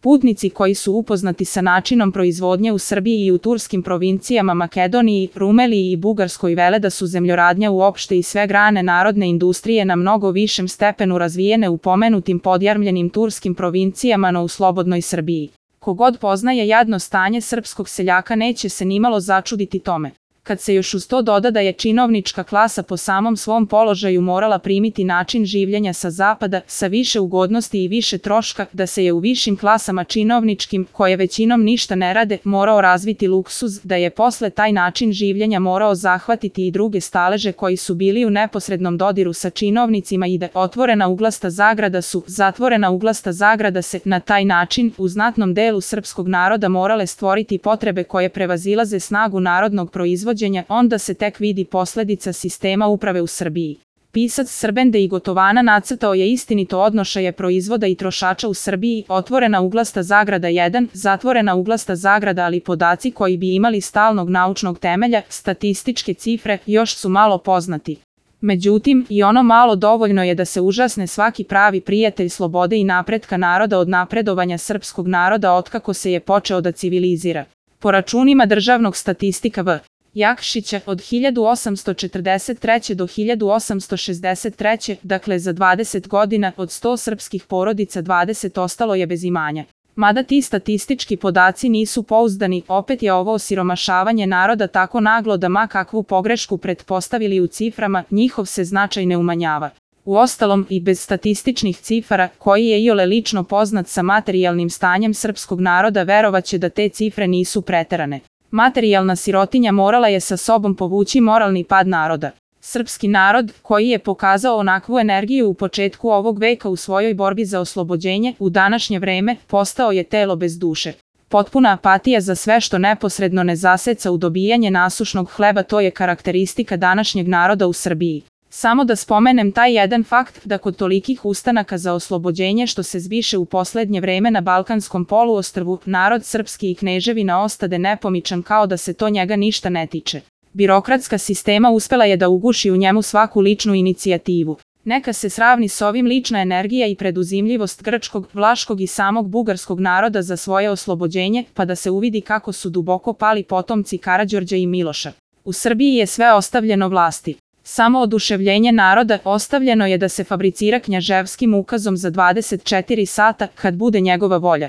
Putnici koji su upoznati sa načinom proizvodnje u Srbiji i u turskim provincijama Makedoniji, Rumeliji i Bugarskoj vele da su zemljoradnja uopšte i sve grane narodne industrije na mnogo višem stepenu razvijene u pomenutim podjarmljenim turskim provincijama, no u slobodnoj Srbiji. Kogod poznaje jadno stanje srpskog seljaka neće se nimalo začuditi tome. Kad se još uz to doda da je činovnička klasa po samom svom položaju morala primiti način življenja sa zapada, sa više ugodnosti i više troška, da se je u višim klasama činovničkim, koje većinom ništa ne rade, morao razviti luksuz, da je posle taj način življenja morao zahvatiti i druge staleže koji su bili u neposrednom dodiru sa činovnicima i da otvorena uglasta zagrada su, zatvorena uglasta zagrada se, na taj način, u znatnom delu srpskog naroda morale stvoriti potrebe koje prevazilaze snagu narodnog proizvođenja, onda se tek vidi posledica sistema uprave u Srbiji. Pisac Srbende i Gotovana nacrtao je istinito odnošaje proizvoda i trošača u Srbiji, otvorena uglasta zagrada 1, zatvorena uglasta zagrada, ali podaci koji bi imali stalnog naučnog temelja, statističke cifre, još su malo poznati. Međutim, i ono malo dovoljno je da se užasne svaki pravi prijatelj slobode i napretka naroda od napredovanja srpskog naroda otkako se je počeo da civilizira. Po računima državnog statistika V. Jakšića, od 1843. do 1863. dakle za 20 godina, od 100 srpskih porodica 20 ostalo je bez imanja. Mada ti statistički podaci nisu pouzdani, opet je ovo osiromašavanje naroda tako naglo da ma kakvu pogrešku pretpostavili u ciframa, njihov se značaj ne umanjava. Uostalom, i bez statističnih cifara, koji je iole lično poznat sa materijalnim stanjem srpskog naroda, verovaće da te cifre nisu preterane. Materijalna sirotinja morala je sa sobom povući moralni pad naroda. Srpski narod, koji je pokazao onakvu energiju u početku ovog veka u svojoj borbi za oslobođenje, u današnje vreme, postao je telo bez duše. Potpuna apatija za sve što neposredno ne zaseca u dobijanje nasušnog hleba, to je karakteristika današnjeg naroda u Srbiji. Samo da spomenem taj jedan fakt da kod tolikih ustanaka za oslobođenje što se zbiše u poslednje vreme na Balkanskom poluostrvu, narod srpski i kneževina ostade nepomičan kao da se to njega ništa ne tiče. Birokratska sistema uspela je da uguši u njemu svaku ličnu inicijativu. Neka se sravni s ovim lična energija i preduzimljivost grčkog, vlaškog i samog bugarskog naroda za svoje oslobođenje, pa da se uvidi kako su duboko pali potomci Karađorđa i Miloša. U Srbiji je sve ostavljeno vlasti. Samo oduševljenje naroda ostavljeno je da se fabricira knjaževskim ukazom za 24 sata, kad bude njegova volja.